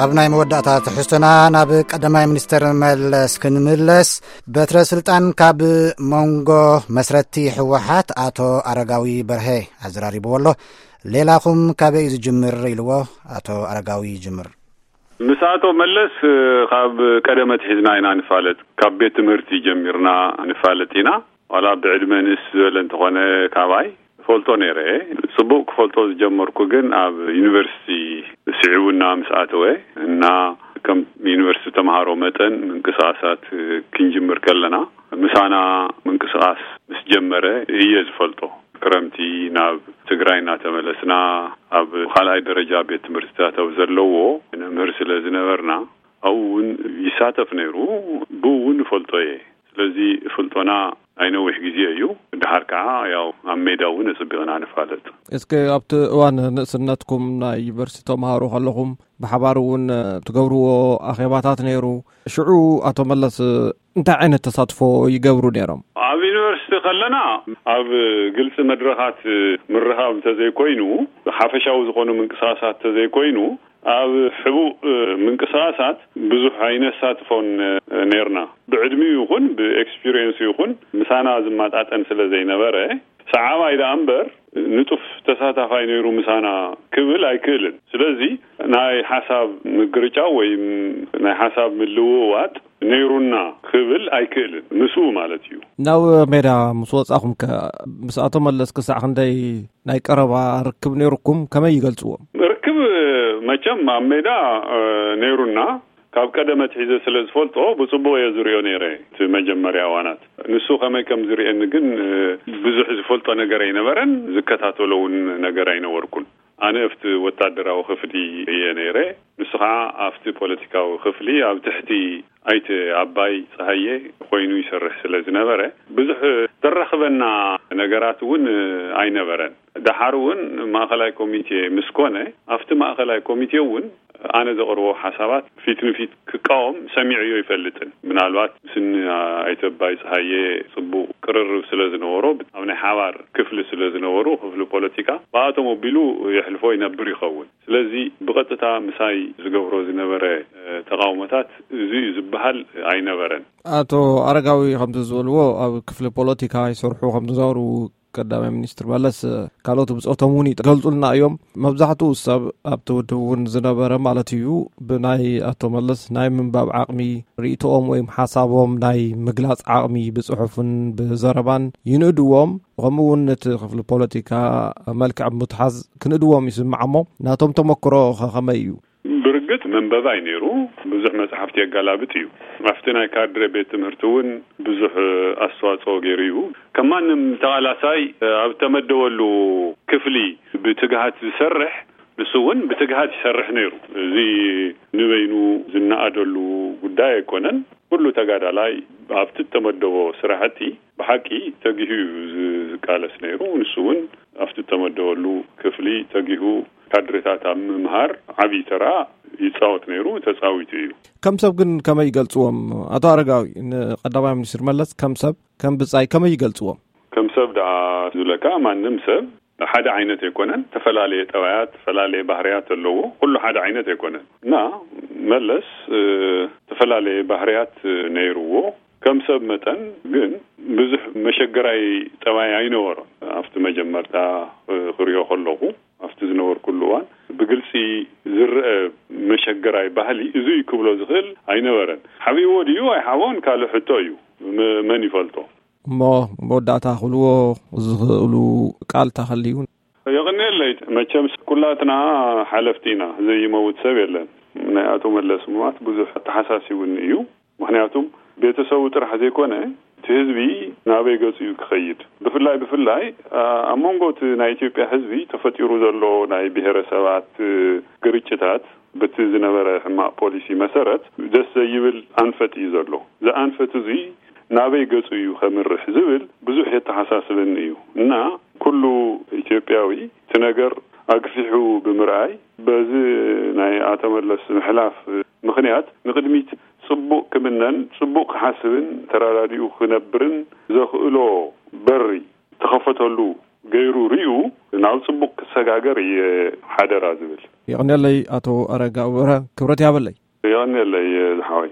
ኣብ ናይ መወዳእታ ትሕዝቶና ናብ ቀዳማይ ሚኒስተር መለስ ክንምለስ፣ በትረ ስልጣን ካብ መንጎ መስረቲ ህወሓት ኣቶ ኣረጋዊ በርሀ ኣዘራሪብዎ ኣሎ። ሌላኹም ካበይ እዩ ዝጅምር ኢልዎ ኣቶ ኣረጋዊ ይጅምር። ምስ ኣቶ መለስ፣ እ፣ ካብ ቀደም ኣትሒዝና ኢና ንፋለጥ። ካብ ቤት ትምህርቲ ጀሚርና ንፋለጥ ኢና። ዋላ ብዕድመ ንእስ ዝበለ እንተኾነ ካባይ ፈልጦ ነይረ። ጽቡቕ ክፈልጦ ዝጀመርኩ ግን ኣብ ዩኒቨርሲቲ ስዒቡና ምስ ኣተወ እና ከም ዩኒቨርሲቲ ተምሃሮ መጠን ምንቅስቓሳት ክንጅምር ከለና ምሳና ምንቅስቓስ ምስ ጀመረ እየ ዝፈልጦ። ክረምቲ ናብ ትግራይ እናተመለስና ኣብ ካልኣይ ደረጃ ቤት ትምህርትታት ኣብ ዘለዎ ነምህር ስለ ዝነበርና ኣብኡ እውን ይሳተፍ ነይሩ። ብኡ እውን እፈልጦ እየ። ስለዚ ፍልጦና ናይ ነዊሕ ግዜ እዩ። ድሓር ከዓ ያው ኣብ ሜዳ እውን ኣጸቢቕና ንፋለጥ። እስከ ኣብቲ እዋን ንእስነትኩም ናይ ዩኒቨርሲቲ ተምሃሮ ከለኹም ብሓባር እውን ትገብርዎ ኣኼባታት ነይሩ። ሽዑ ኣቶ መለስ እንታይ ዓይነት ተሳትፎ ይገብሩ ነይሮም? ኣብ ዩኒቨርሲቲ ከለና ኣብ ግልጺ መድረኻት ምርኻብ እንተዘይኮይኑ፣ ሓፈሻዊ ዝኾኑ ምንቅስቓሳት እንተዘይኮይኑ፣ ኣብ ሕቡእ ምንቅስቓሳት ብዙሕ ኣይነሳትፎን ነይርና። ብዕድሚኡ ይኹን ብኤክስፒሪየንስ ይኹን ምሳና ዝመጣጠን ስለ ዘይነበረ፣ ሰዓባይ ደኣ እምበር ንጡፍ ተሳታፋይ ነይሩ ምሳና ክብል ኣይክእልን። ስለዚ ናይ ሓሳብ ምግርጫው ወይም ናይ ሓሳብ ምልውዋጥ ነይሩና ክብል ኣይክእልን፣ ምስኡ ማለት እዩ። ናብ ሜዳ ምስ ወጻኹም ከ ምስ ኣቶ መለስ ክሳዕ ክንደይ ናይ ቀረባ ርክብ ነይሩኩም? ከመይ ይገልጽዎ? ርክብ መቸም ኣብ ሜዳ፣ እ፣ ነይሩና። ካብ ቀደም ኣትሒዘ ስለ ዝፈልጦ ብጽቡቕ እየ ዝርእዮ ነይረ። እቲ መጀመርያ እዋናት ንሱ ከመይ ከም ዝርእየኒ ግን፣ እ፣ ብዙሕ ዝፈልጦ ነገር ኣይነበረን፣ ዝከታተሎ እውን ነገር ኣይነበርኩን። ኣነ ኣብቲ ወታደራዊ ክፍሊ እየ ነይረ። ንሱ ኸዓ ኣብቲ ፖለቲካዊ ክፍሊ ኣብ ትሕቲ ኣይተ ኣባይ ጸሃየ ኮይኑ ይሰርሕ ስለ ዝነበረ፣ ብዙሕ ዘራኽበና ነገራት እውን ኣይነበረን። ደሓር እውን ማእኸላይ ኮሚቴ ምስ ኮነ፣ ኣብቲ ማእኸላይ ኮሚቴ እውን ኣነ ዘቕርቦ ሓሳባት ፊት ንፊት ክቃወም ሰሚዐዮ ኣይፈልጥን። ምናልባት ምስኒ ኣይተ ኣባይ ጸሃየ ጽቡቕ ቅርርብ ስለ ዝነበሮ፣ ኣብ ናይ ሓባር ክፍሊ ስለ ዝነበሩ፣ ክፍሊ ፖለቲካ፣ ብኣቶም ኣቢሉ የሕልፎ ይነብር ይኸውን። ስለዚ ብቐጥታ ምሳይ ዝገብሮ ዝነበረ፣ እ፣ ተቓውሞታት እዚ እዩ ዝበሃል ኣይነበረን። ኣቶ ኣረጋዊ ከምዚ ዝበልዎ ኣብ ክፍሊ ፖለቲካ ይሰርሑ ከም ዝነበሩ ቀዳማይ ሚኒስትር መለስ ካልኦት ብጾቶም እውን ይገልጹልና እዮም። መብዛሕትኡ ሰብ ኣብቲ ውድብ እውን ዝነበረ ማለት እዩ ብናይ ኣቶ መለስ ናይ ምንባብ ዓቕሚ፣ ርእይቶኦም ወይም ሓሳቦም ናይ ምግላጽ ዓቕሚ ብጽሑፍን ብዘረባን ይንእድዎም። ከምኡ እውን ነቲ ክፍሊ ፖለቲካ መልክዕ ምትሓዝ ክንእድዎም ይስማዕ እሞ ናቶም ተመክሮ ኸ ከመይ እዩ? ብርግጽ መንበባይ ነይሩ። ብዙሕ መጽሓፍቲ የጋላብጥ እዩ። ኣብቲ ናይ ካድረ ቤት ትምህርቲ እውን ብዙሕ ኣስተዋጽኦ ገይሩ እዩ። ከም ማንም ተቓላሳይ ኣብ ተመደበሉ ክፍሊ ብትግሃት ዝሰርሕ፣ ንሱ እውን ብትግሃት ይሰርሕ ነይሩ። እዚ ንበይኑ ዝነኣደሉ ጉዳይ ኣይኮነን። ኩሉ ተጋዳላይ ኣብቲ እተመደቦ ስራሕቲ ብሓቂ ተጊሁ እዩ ዝ-፣ ዝቃለስ ነይሩ። ንሱ እውን ኣብቲ እተመደበሉ ክፍሊ ተጊሁ ካድሬታት ኣብ ምምሃር ዓብዪ ተራ ይጻወት ነይሩ፣ ተጻዊቱ እዩ። ከም ሰብ ግን ከመይ ይገልጽዎም? ኣቶ ኣረጋዊ፣ ንቀዳማይ ሚኒስትር መለስ ከም ሰብ፣ ከም ብጻይ ከመይ ይገልጽዎም? ከም ሰብ ደኣ ዝብለካ፣ ማንም ሰብ ሓደ ዓይነት ኣይኮነን። ተፈላለየ ጠባያት፣ ተፈላለየ ባህርያት ኣለዎ። ኩሉ ሓደ ዓይነት ኣይኮነን። እና መለስ፣ እ፣ ተፈላለየ ባህርያት ነይርዎ። ከም ሰብ መጠን ግን ብዙሕ መሸገራይ ጠባይ ኣይነበሮን። ኣብቲ መጀመርታ፣ እ፣ ክሪኦ ከለኹ፣ ኣብቲ ዝነበርኩሉ እዋን ብግልጺ ዝረአ መሸገራይ ባህሊ እዙይ ክብሎ ዝኽእል ኣይነበረን። ሓቢእዎ ድዩ ኣይሓቦን ካልእ ሕቶ እዩ። መ-፣ መን ይፈልጦ? እሞ መወዳእታ ክብልዎ ዝኽእሉ ቃል ተኸልዩ? የቕንየለይ። መቸም ኩላትና ሓለፍቲ ኢና፣ ዘይመውት ሰብ የለን። ናይ ኣቶ መለስ ምማት ብዙሕ ኣተሓሳሲቡኒ እዩ። ምኽንያቱም ቤተሰቡ ጥራሕ ዘይኮነ፣ እቲ ህዝቢ ናበይ ገጹ እዩ ክኸይድ? ብፍላይ፣ ብፍላይ፣ ኣ-፣ ኣብ መንጎ እቲ ናይ ኢትዮጵያ ህዝቢ ተፈጢሩ ዘሎ ናይ ብሄረሰባት ግርጭታት፣ በቲ ዝነበረ ሕማቕ ፖሊሲ መሰረት፣ ደስ ዘይብል ኣንፈት እዩ ዘሎ። እዚ ኣንፈት እዚ ናበይ ገጹ እዩ ከምርሕ ዝብል ብዙሕ የተሓሳስበኒ እዩ። እና ኩሉ ኢትዮጵያዊ እቲ ነገር ኣግፊሑ ብምርኣይ፣ በዚ ናይ ኣቶ መለስ ምሕላፍ ምኽንያት ንቕድሚት ጽቡቕ ክምነን ጽቡቕ ክሓስብን ተረዳዲኡ ክነብርን ዘኽእሎ በሪ ተኸፈተሉ ገይሩ ሪኡ ናብ ጽቡቕ ክሰጋገር እየ ሓደራ ዝብል። የቐንየለይ ኣቶ ኣረጋ ኣበረ፣ ክብረት ያበለይ። የቐንየለይ ዝሓወይ።